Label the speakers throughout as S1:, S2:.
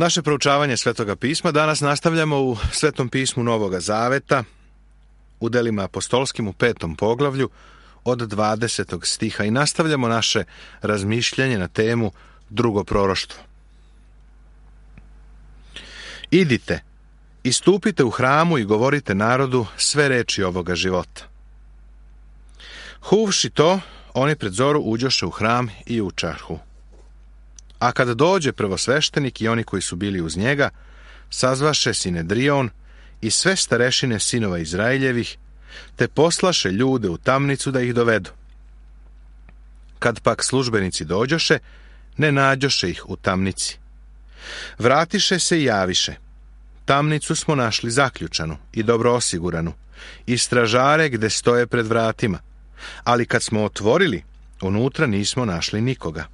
S1: Naše proučavanje Svetoga pisma danas nastavljamo u Svetom pismu Novoga Zaveta, u delima apostolskim u 5. poglavlju od 20. stiha i nastavljamo naše razmišljanje na temu drugo proroštvo. Idite, istupite u hramu i govorite narodu sve reči ovoga života. Huvši to, oni pred zoru uđoše u hram i učahu. A kad dođe prvosveštenik i oni koji su bili uz njega, sazvaše Sinedrion i sve starešine sinova Izraeljevih, te poslaše ljude u tamnicu da ih dovedu. Kad pak službenici dođoše, ne nađoše ih u tamnici. Vratiše se i javiše. Tamnicu smo našli zaključanu i dobro osiguranu, i stražare gde stoje pred vratima, ali kad smo otvorili, unutra nismo našli nikoga.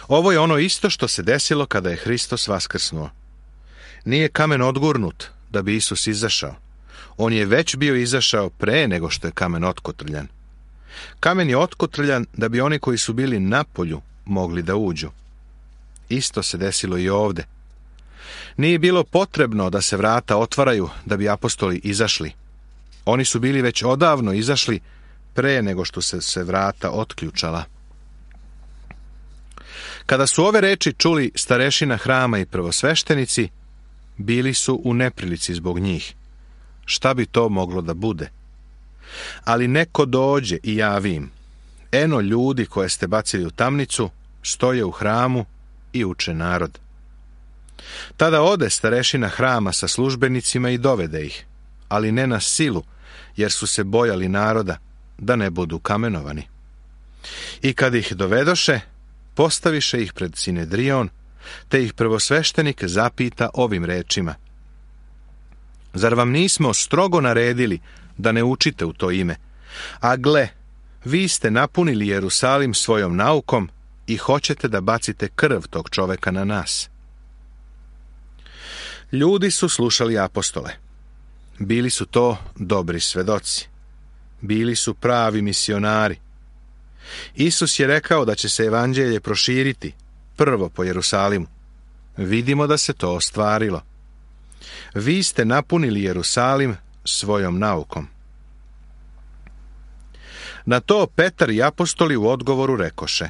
S1: Ovo je ono isto što se desilo kada je Hristos vaskrsnuo. Nije kamen odgurnut da bi Isus izašao. On je već bio izašao pre nego što je kamen otkotrljan. Kamen je otkotrljan da bi oni koji su bili napolju mogli da uđu. Isto se desilo i ovde. Nije bilo potrebno da se vrata otvaraju da bi apostoli izašli. Oni su bili već odavno izašli pre nego što se vrata otključala. Kada su ove reči čuli starešina hrama i prvosveštenici, bili su u neprilici zbog njih. Šta bi to moglo da bude? Ali neko dođe i javi im: eno ljudi koje ste bacili u tamnicu, stoje u hramu i uče narod. Tada ode starešina hrama sa službenicima i dovede ih, ali ne na silu, jer su se bojali naroda, da ne budu kamenovani. I kad ih dovedoše, postaviše ih pred Sinedrion, te ih prvosveštenik zapita ovim rečima: zar vam nismo strogo naredili da ne učite u to ime? A gle, vi ste napunili Jerusalim svojom naukom i hoćete da bacite krv tog čoveka na nas. Ljudi su slušali apostole. Bili su to dobri svedoci. Bili su pravi misionari. Isus je rekao da će se evanđelje proširiti prvo po Jerusalimu. Vidimo da se to ostvarilo. Vi ste napunili Jerusalim svojom naukom. Na to Petar i apostoli u odgovoru rekoše: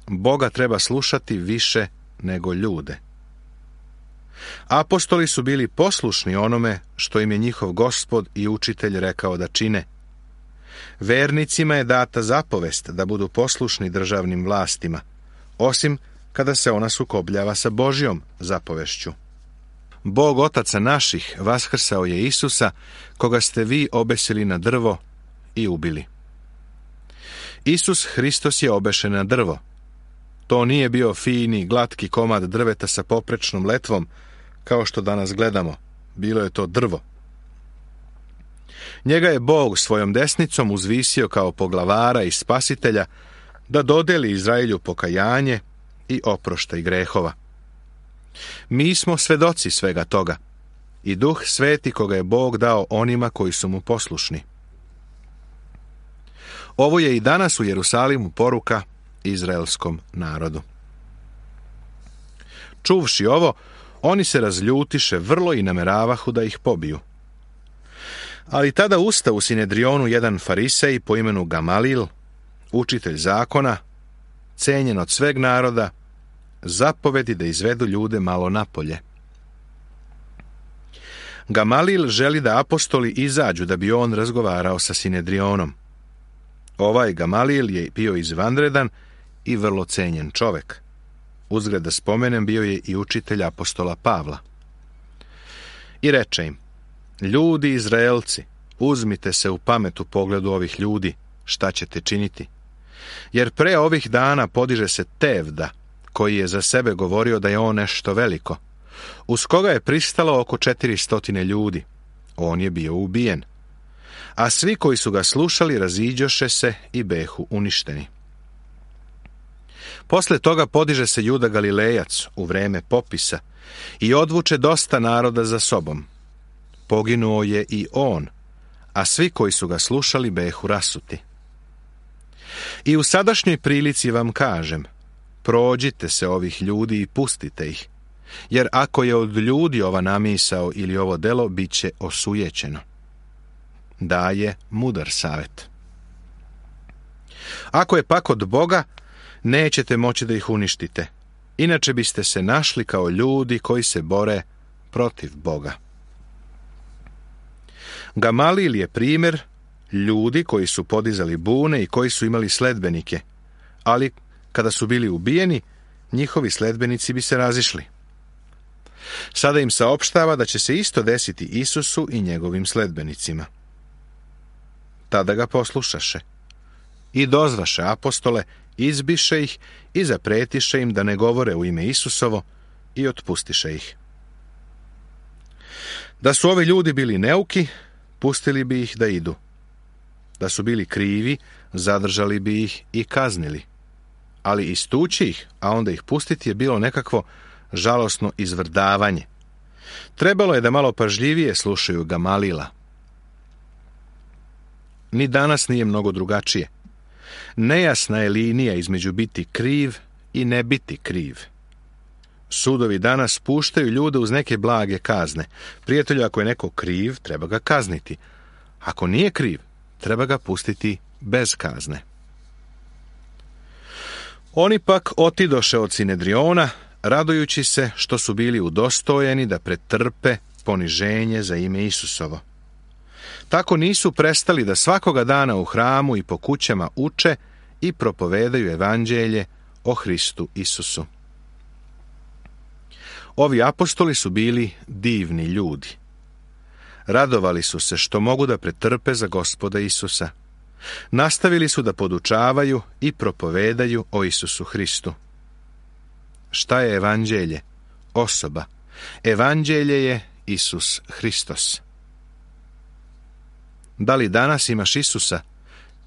S1: Boga treba slušati više nego ljude. Apostoli su bili poslušni onome što im je njihov Gospod i učitelj rekao da čine. Vernicima je data zapovest da budu poslušni državnim vlastima, osim kada se ona sukobljava sa Božjom zapovešću. Bog otaca naših vaskrsao je Isusa, koga ste vi obesili na drvo i ubili. Isus Hristos je obešen na drvo. To nije bio fini, glatki komad drveta sa poprečnom letvom, kao što danas gledamo. Bilo je to drvo. Njega je Bog svojom desnicom uzvisio kao poglavara i spasitelja, da dodeli Izraelju pokajanje i oproštaj grehova. Mi smo svedoci svega toga i Duh Sveti koga je Bog dao onima koji su mu poslušni. Ovo je i danas u Jerusalimu poruka izraelskom narodu. Čuvši ovo, oni se razljutiše vrlo i nameravahu da ih pobiju. Ali tada usta u Sinedrionu jedan farisej po imenu Gamalil, učitelj zakona, cenjen od sveg naroda, zapovedi da izvedu ljude malo napolje. Gamalil želi da apostoli izađu da bi on razgovarao sa Sinedrionom. Ovaj Gamalil je bio izvanredan i vrlo cenjen čovek. Uzgred da spomenem, bio je i učitelj apostola Pavla. I reče im: ljudi Izraelci, uzmite se u pamet u pogledu ovih ljudi, šta ćete činiti? Jer pre ovih dana podiže se Tevda, koji je za sebe govorio da je on nešto veliko, uz koga je pristalo oko 400 ljudi. On je bio ubijen. A svi koji su ga slušali raziđoše se i behu uništeni. Posle toga podiže se Juda Galilejac u vreme popisa i odvuče dosta naroda za sobom. Poginuo je i on, a svi koji su ga slušali behu rasuti. I u sadašnjoj prilici vam kažem, prođite se ovih ljudi i pustite ih, jer ako je od ljudi ova namisao ili ovo delo, bit će osujećeno. Daje mudar savjet. Ako je pak od Boga, nećete moći da ih uništite, inače biste se našli kao ljudi koji se bore protiv Boga. Gamalil je primjer ljudi koji su podizali bune i koji su imali sledbenike, ali kada su bili ubijeni, njihovi sledbenici bi se razišli. Sada im saopštava da će se isto desiti Isusu i njegovim sledbenicima. Tada ga poslušaše i dozvaše apostole, izbiše ih i zapretiše im da ne govore u ime Isusovo i otpustiše ih. Da su ovi ljudi bili neuki, pustili bi ih da idu. Da su bili krivi, zadržali bi ih i kaznili. Ali istući ih, a onda ih pustiti, je bilo nekakvo žalosno izvrdavanje. Trebalo je da malo pažljivije slušaju Gamalila. Ni danas nije mnogo drugačije. Nejasna je linija između biti kriv i ne biti kriv. Sudovi danas puštaju ljude uz neke blage kazne. Prijatelju, ako je neko kriv, treba ga kazniti. Ako nije kriv, treba ga pustiti bez kazne. Oni pak otidoše od Sinedriona, radujući se što su bili udostojeni da pretrpe poniženje za ime Isusovo. Tako nisu prestali da svakoga dana u hramu i po kućama uče i propovedaju evanđelje o Hristu Isusu. Ovi apostoli su bili divni ljudi. Radovali su se što mogu da pretrpe za Gospoda Isusa. Nastavili su da podučavaju i propovedaju o Isusu Hristu. Šta je evanđelje? Osoba. Evanđelje je Isus Hristos. Da li danas imaš Isusa?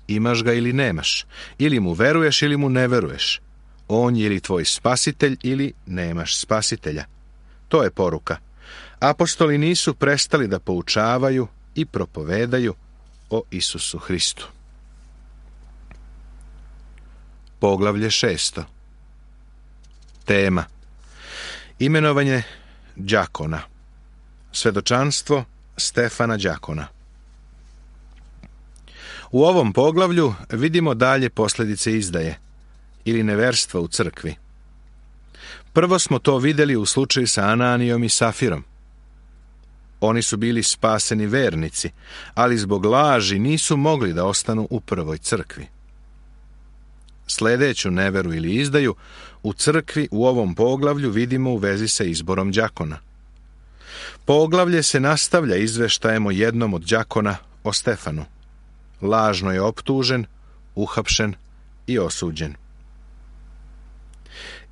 S1: Imaš ga ili nemaš? Ili mu veruješ ili mu ne veruješ? On je ili tvoj spasitelj ili nemaš spasitelja? To je poruka. Apostoli nisu prestali da poučavaju i propovedaju o Isusu Hristu. Poglavlje 6. Tema: imenovanje đakona. Svedočanstvo Stefana đakona. U ovom poglavlju vidimo dalje posljedice izdaje ili neverstva u crkvi. Prvo smo to vidjeli u slučaju sa Ananijom i Safirom. Oni su bili spaseni vernici, ali zbog laži nisu mogli da ostanu u prvoj crkvi. Sljedeću neveru ili izdaju u crkvi u ovom poglavlju vidimo u vezi sa izborom đakona. Poglavlje se nastavlja izveštajem o jednom od đakona, o Stefanu. Lažno je optužen, uhapšen i osuđen.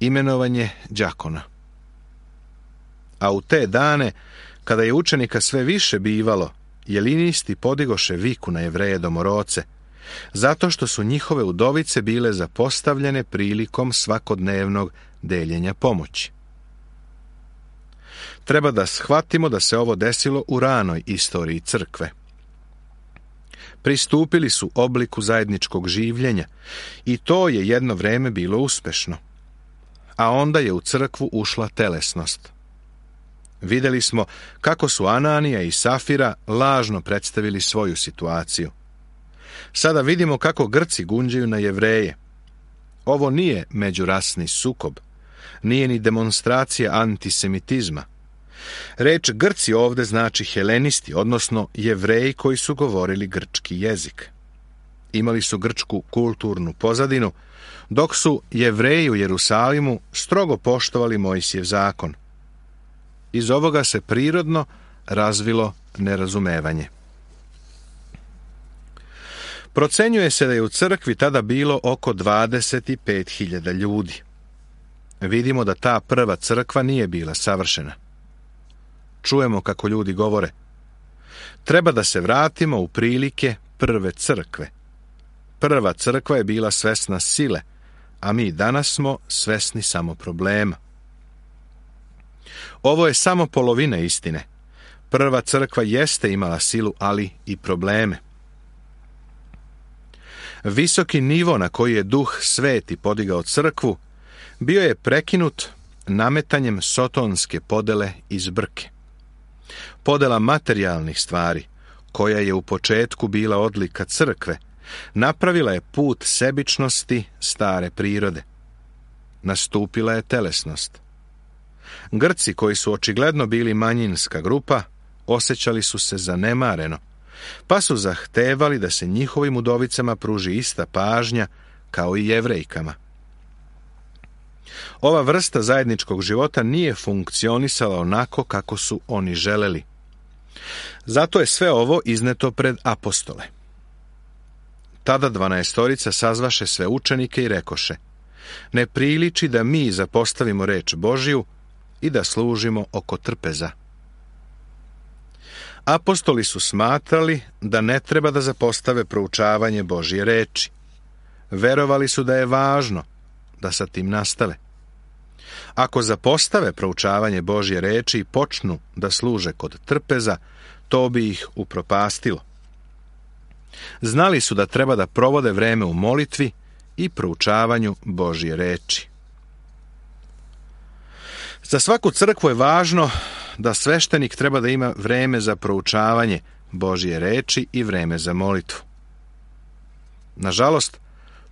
S1: Imenovanje đakona. A u te dane, kada je učenika sve više bivalo, jelinisti podigoše viku na Jevreje domoroce, zato što su njihove udovice bile zapostavljene prilikom svakodnevnog deljenja pomoći. Treba da shvatimo da se ovo desilo u ranoj istoriji crkve. Pristupili su obliku zajedničkog življenja i to je jedno vreme bilo uspešno. A onda je u crkvu ušla telesnost. Vidjeli smo kako su Ananija i Safira lažno predstavili svoju situaciju. Sada vidimo kako Grci gunđaju na Jevreje. Ovo nije međurasni sukob, nije ni demonstracija antisemitizma. Reč Grci ovdje znači helenisti, odnosno Jevreji koji su govorili grčki jezik. Imali su grčku kulturnu pozadinu, dok su Jevreji u Jerusalimu strogo poštovali Mojsijev zakon. Iz ovoga se prirodno razvilo nerazumevanje. Procenjuje se da je u crkvi tada bilo oko 25.000 ljudi. Vidimo da ta prva crkva nije bila savršena. Čujemo kako ljudi govore: treba da se vratimo u prilike prve crkve. Prva crkva je bila svesna sile, a mi danas smo svesni samo problema. Ovo je samo polovina istine. Prva crkva jeste imala silu, ali i probleme. Visoki nivo na koji je Duh Sveti podigao crkvu bio je prekinut nametanjem sotonske podele i zbrke. Podela materijalnih stvari, koja je u početku bila odlika crkve, napravila je put sebičnosti stare prirode. Nastupila je telesnost. Grci, koji su očigledno bili manjinska grupa, osjećali su se zanemareno, pa su zahtevali da se njihovim udovicama pruži ista pažnja kao i Jevrejkama. Ova vrsta zajedničkog života nije funkcionisala onako kako su oni želeli. Zato je sve ovo izneto pred apostole. Tada 12 sazvaše sve učenike i rekoše: ne priliči da mi zapostavimo reč Božiju i da služimo oko trpeza. Apostoli su smatrali da ne treba da zapostave proučavanje Božje reči. Verovali su da je važno da sa tim nastave. Ako zapostave proučavanje Božje reči i počnu da služe kod trpeza, to bi ih upropastilo. Znali su da treba da provode vreme u molitvi i proučavanju Božje reči. Za svaku crkvu je važno da sveštenik treba da ima vreme za proučavanje Božje reči i vreme za molitvu. Nažalost,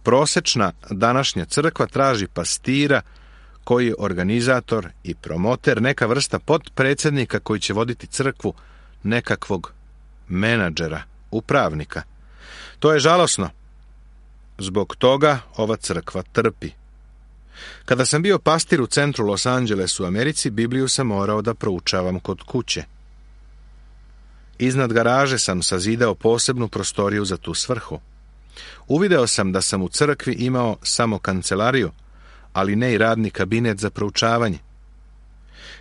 S1: prosečna današnja crkva traži pastira koji je organizator i promoter, neka vrsta potpredsjednika koji će voditi crkvu, nekakvog menadžera, upravnika. To je žalosno. Zbog toga ova crkva trpi. Kada sam bio pastir u centru Los Angelesu u Americi, Bibliju sam morao da proučavam kod kuće. Iznad garaže sam sazidao posebnu prostoriju za tu svrhu. Uvideo sam da sam u crkvi imao samo kancelariju, ali ne i radni kabinet za proučavanje.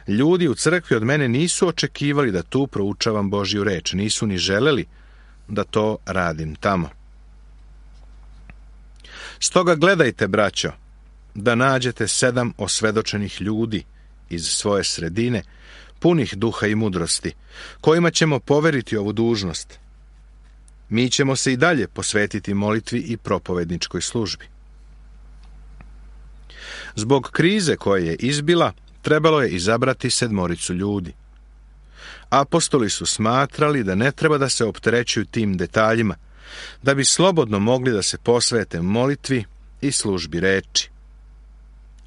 S1: Ljudi u crkvi od mene nisu očekivali da tu proučavam Božju reč, nisu ni želeli da to radim tamo. Stoga gledajte, braćo, da nađete 7 osvedočenih ljudi iz svoje sredine, punih duha i mudrosti, kojima ćemo poveriti ovu dužnost. Mi ćemo se i dalje posvetiti molitvi i propovedničkoj službi. Zbog krize koja je izbila, trebalo je izabrati 7 ljudi. Apostoli su smatrali da ne treba da se opterećuju tim detaljima, da bi slobodno mogli da se posvete molitvi i službi reči.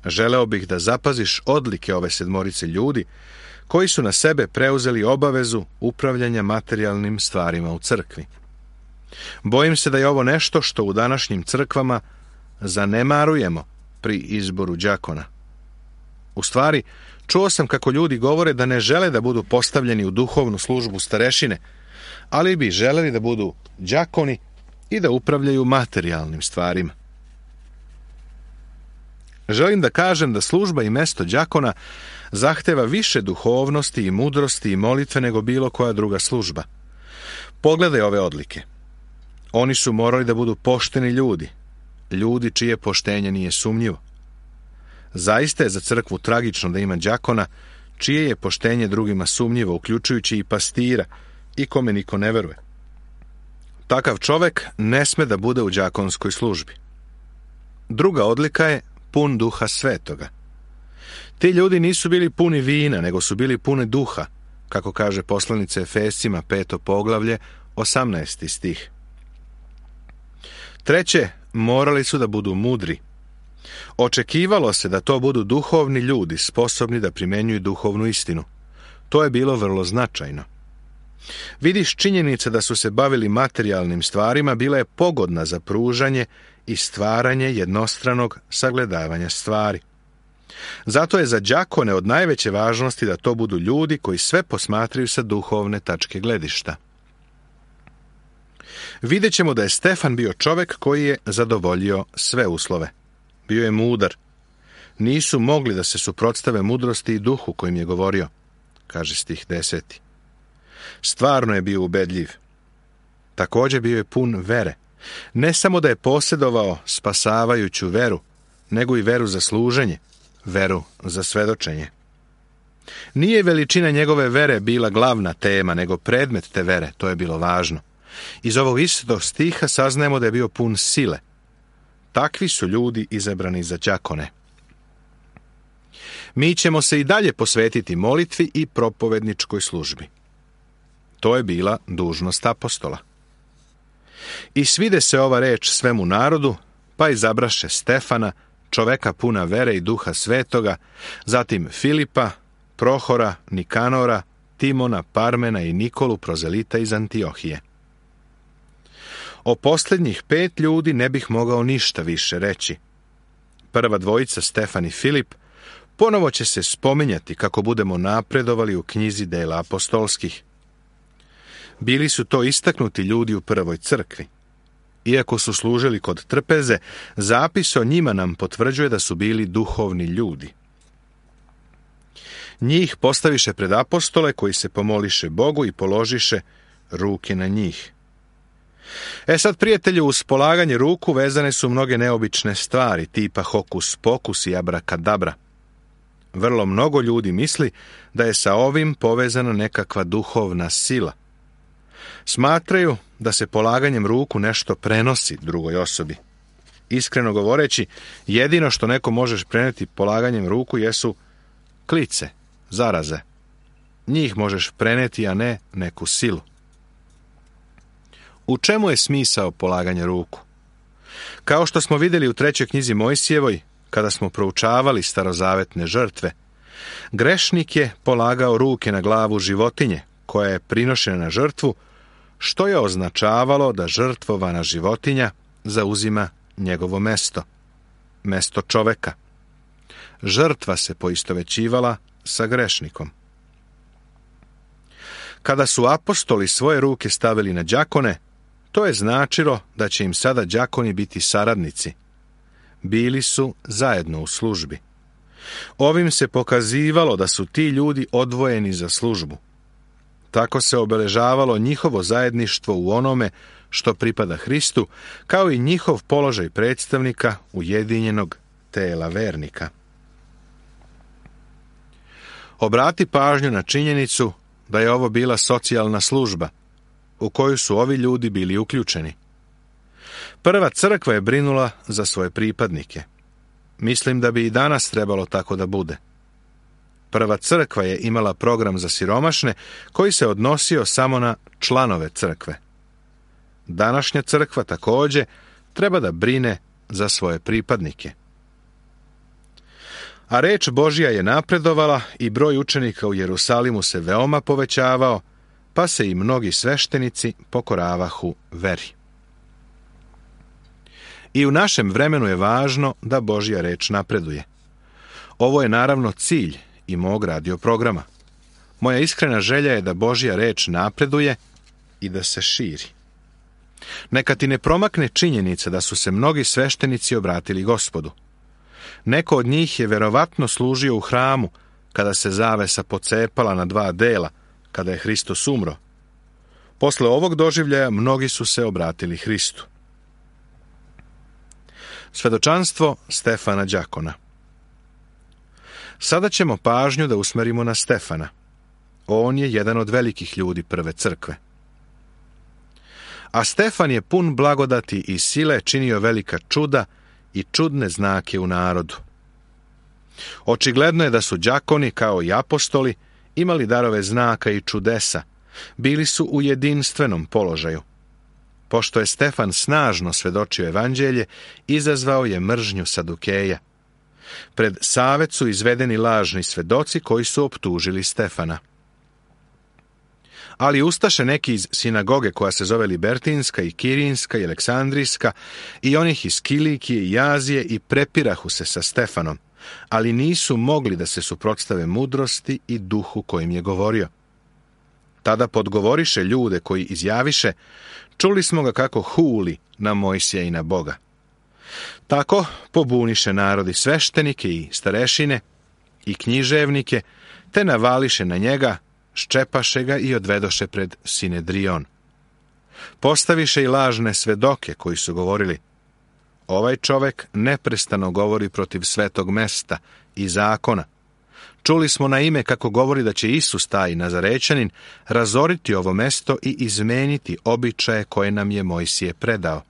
S1: Želeo bih da zapaziš odlike ove 7 ljudi koji su na sebe preuzeli obavezu upravljanja materijalnim stvarima u crkvi. Bojim se da je ovo nešto što u današnjim crkvama zanemarujemo pri izboru đakona. U stvari, čuo sam kako ljudi govore da ne žele da budu postavljeni u duhovnu službu starešine, ali bi želeli da budu đakoni i da upravljaju materijalnim stvarima. Želim da kažem da služba i mesto đakona zahteva više duhovnosti i mudrosti i molitve nego bilo koja druga služba. Pogledaj ove odlike. Oni su morali da budu pošteni ljudi, ljudi čije poštenje nije sumnjivo. Zaista je za crkvu tragično da ima đakona čije je poštenje drugima sumnjivo, uključujući i pastira i kome niko ne veruje. Takav čovek ne sme da bude u đakonskoj službi. Druga odlika je pun Duha Svetoga. Ti ljudi nisu bili puni vina, nego su bili puni duha, kako kaže poslanica Efescima 5. poglavlje, 18. stih. Treće, morali su da budu mudri. Očekivalo se da to budu duhovni ljudi, sposobni da primenjuju duhovnu istinu. To je bilo vrlo značajno. Vidiš, činjenica da su se bavili materijalnim stvarima bila je pogodna za pružanje i stvaranje jednostranog sagledavanja stvari. Zato je za đakone od najveće važnosti da to budu ljudi koji sve posmatraju sa duhovne tačke gledišta. Vidjet ćemo da je Stefan bio čovek koji je zadovoljio sve uslove. Bio je mudar. Nisu mogli da se suprotstave mudrosti i duhu kojim je govorio, kaže stih 10. Stvarno je bio ubedljiv. Također bio je pun vere. Ne samo da je posjedovao spasavajuću veru, nego i veru za služenje, veru za svedočenje. Nije veličina njegove vere bila glavna tema, nego predmet te vere, to je bilo važno. Iz ovog istog stiha saznajemo da je bio pun sile. Takvi su ljudi izabrani za đakone. Mi ćemo se i dalje posvetiti molitvi i propovedničkoj službi. To je bila dužnost apostola. I svide se ova reč svemu narodu, pa izabraše Stefana, čoveka puna vere i duha svetoga, zatim Filipa, Prohora, Nikanora, Timona, Parmena i Nikolu, prozelita iz Antiohije. O posljednjih 5 ljudi ne bih mogao ništa više reći. Prva dvojica, Stefan i Filip, ponovo će se spominjati kako budemo napredovali u knjizi dela apostolskih. Bili su to istaknuti ljudi u prvoj crkvi. Iako su služili kod trpeze, zapis o njima nam potvrđuje da su bili duhovni ljudi. Njih postaviše pred apostole koji se pomoliše Bogu i položiše ruke na njih. Sad, prijatelju, uz polaganje ruku vezane su mnoge neobične stvari, tipa hokus pokus i abrakadabra. Vrlo mnogo ljudi misli da je sa ovim povezana nekakva duhovna sila. Smatraju da se polaganjem ruku nešto prenosi drugoj osobi. Iskreno govoreći, jedino što neko možeš preneti polaganjem ruku jesu klice, zaraze. Njih možeš preneti, a ne neku silu. U čemu je smisao polaganja ruku? Kao što smo vidjeli u 3. knjizi Mojsijevoj, kada smo proučavali starozavetne žrtve, grešnik je polagao ruke na glavu životinje, koja je prinošena na žrtvu, što je označavalo da žrtvovana životinja zauzima njegovo mesto, mesto čoveka. Žrtva se poistovećivala sa grešnikom. Kada su apostoli svoje ruke stavili na đakone, to je značilo da će im sada đakoni biti saradnici. Bili su zajedno u službi. Ovim se pokazivalo da su ti ljudi odvojeni za službu. Tako se obeležavalo njihovo zajedništvo u onome što pripada Hristu, kao i njihov položaj predstavnika ujedinjenog tela vernika. Obrati pažnju na činjenicu da je ovo bila socijalna služba, u koju su ovi ljudi bili uključeni. Prva crkva je brinula za svoje pripadnike. Mislim da bi i danas trebalo tako da bude. Prva crkva je imala program za siromašne koji se odnosio samo na članove crkve. Današnja crkva također treba da brine za svoje pripadnike. A reč Božja je napredovala i broj učenika u Jerusalimu se veoma povećavao, pa se i mnogi sveštenici pokoravahu veri. I u našem vremenu je važno da Božja reč napreduje. Ovo je naravno cilj i mog radio programa. Moja iskrena želja je da Božja reč napreduje i da se širi. Neka ti ne promakne činjenica da su se mnogi sveštenici obratili Gospodu. Neko od njih je verovatno služio u hramu kada se zavesa pocepala na 2 dela, kada je Hristos umro. Posle ovog doživljaja mnogi su se obratili Hristu. Svedočanstvo Stefana đakona. Sada ćemo pažnju da usmerimo na Stefana. On je jedan od velikih ljudi prve crkve. A Stefan je pun blagodati i sile činio velika čuda i čudne znake u narodu. Očigledno je da su đakoni, kao i apostoli, imali darove znaka i čudesa, bili su u jedinstvenom položaju. Pošto je Stefan snažno svedočio evanđelje, izazvao je mržnju Sadukeja. Pred savet su izvedeni lažni svedoci koji su optužili Stefana. Ali ustaše neki iz sinagoge koja se zove Libertinska i Kirinska i Aleksandrijska i onih iz Kilikije i Azije i prepirahu se sa Stefanom, ali nisu mogli da se suprotstave mudrosti i duhu kojim je govorio. Tada podgovoriše ljude koji izjaviše: čuli smo ga kako huli na Mojsija i na Boga. Tako pobuniše narodi sveštenike i starešine i književnike, te navališe na njega, ščepaše ga i odvedoše pred Sinedrion. Postaviše i lažne svedoke koji su govorili: ovaj čovek neprestano govori protiv svetog mesta i zakona. Čuli smo na ime kako govori da će Isus, taj Nazarećanin, razoriti ovo mesto i izmeniti običaje koje nam je Mojsije predao.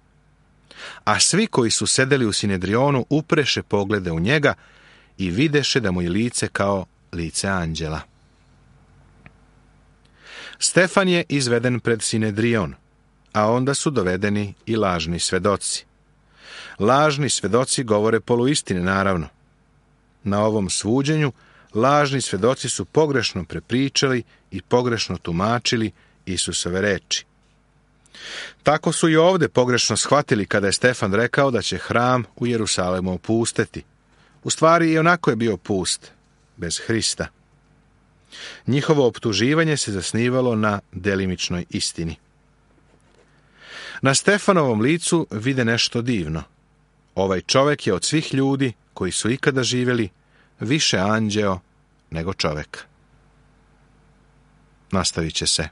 S1: A svi koji su sedeli u Sinedrionu upreše poglede u njega i videše da mu je lice kao lice anđela. Stefan je izveden pred Sinedrion, a onda su dovedeni i lažni svedoci. Lažni svedoci govore poluistine, naravno. Na ovom suđenju lažni svedoci su pogrešno prepričali i pogrešno tumačili Isusove reči. Tako su i ovdje pogrešno shvatili kada je Stefan rekao da će hram u Jerusalemu opusteti. U stvari i onako je bio pust, bez Hrista. Njihovo optuživanje se zasnivalo na delimičnoj istini. Na Stefanovom licu vide nešto divno. Ovaj čovjek je od svih ljudi koji su ikada živjeli više anđeo nego čovjek. Nastavit će se.